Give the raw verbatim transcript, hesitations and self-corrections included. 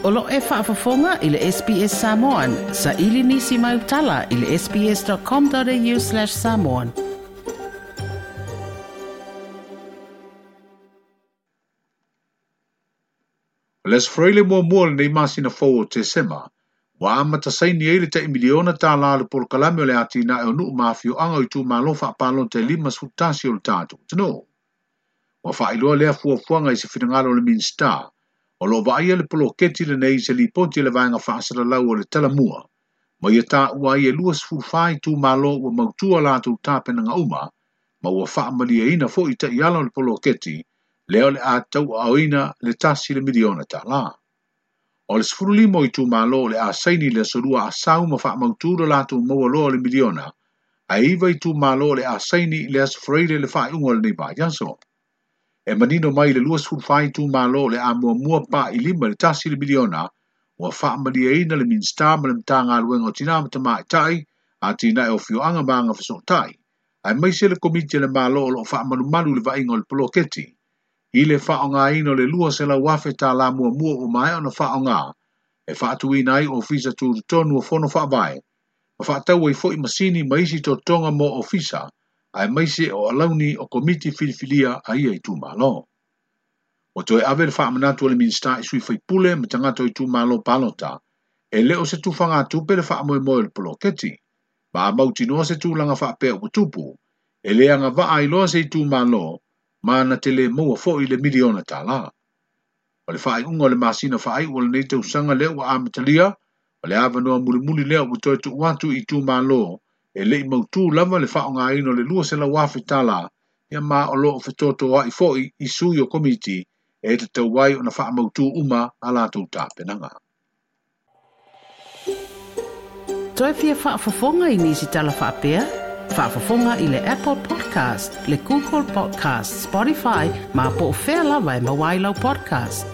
O lo e faafofoga i le S B S Samoan, sa ili nisi mai utala i le sbs.com.au slash samoan. Le sfreile muamua lenei masina fou o Tesema, ua amata saini ai le tai miliona tālā le polokalame o le atinae o nuu ma afioaga o itumalo faapalota e lima sefulu tasi o le tatou atunuu. Ua faailoa lea fuafuaga i se finagalo o le Minisita, o loo vaaia le poloketi lenei i se lipoti a le vaega faasalalau o le talamua, ma ia taua ai e lua sefulu fa itumalo ua mautua latou tapenaga uma, ma ua faamaliaina foi taiala o le poloketi, lea o le a tauaaoina le tasi le miliona tālā. O le sefulu lima o itumalo o le a saini le aso lua asau ma faamautu lo latou maua loa o le miliona, ae iva itumalo o le a saini le aso Faraile le faaiuga o lenei vaiaso. E manino mai le lua sefulu fa itumalo o le a muamua pa i lima le tasi le miliona, ua faamaliaina le Minisita ma le Matagaluega o Tina ma Tamaitai, atinae o afioaga ma agafesootai, aemaise le komiti a le Malo o loo faamalumalu le vaaiga o le poloketi. I le faaaogaina o le lua selau afe tālā muamua ua maea ona faaaoga, e faatuina ai ofisa tutotonu o fono faavae, ma faatau ai foi masini ma isi totoga mo ofisa, aemaise o alauni o komiti filifilia a ia itumalo. Ua toe ave le faamanatu o le Minisita i sui faipule ma tagata o itumalo palota, e le o se tufagatupe le faamoemoe o le poloketi, ma a mautinoa se tulaga faapea ua tupu, e le agavaa ai loa se itumalo, ma na te le maua foi le miliona tālā. O le faaiuga o le masina faaiu o lenei tausaga lea ua amatalia, o le avanoa mulimuli lea ua toe tuu atu i itumalo, e lei mautū lava le faaaogaina o le lua selau afe tālā, ia ma o loo fetotoai foi i sui o komiti e tatau ai ona faamautū uma a latou tapenaga. Toe fia faafofoga i nisi tala faapea? Faafofoga i le Apple Podcast, le Google Podcast, Spotify, ma po o fea lava e maua ai lau podcast.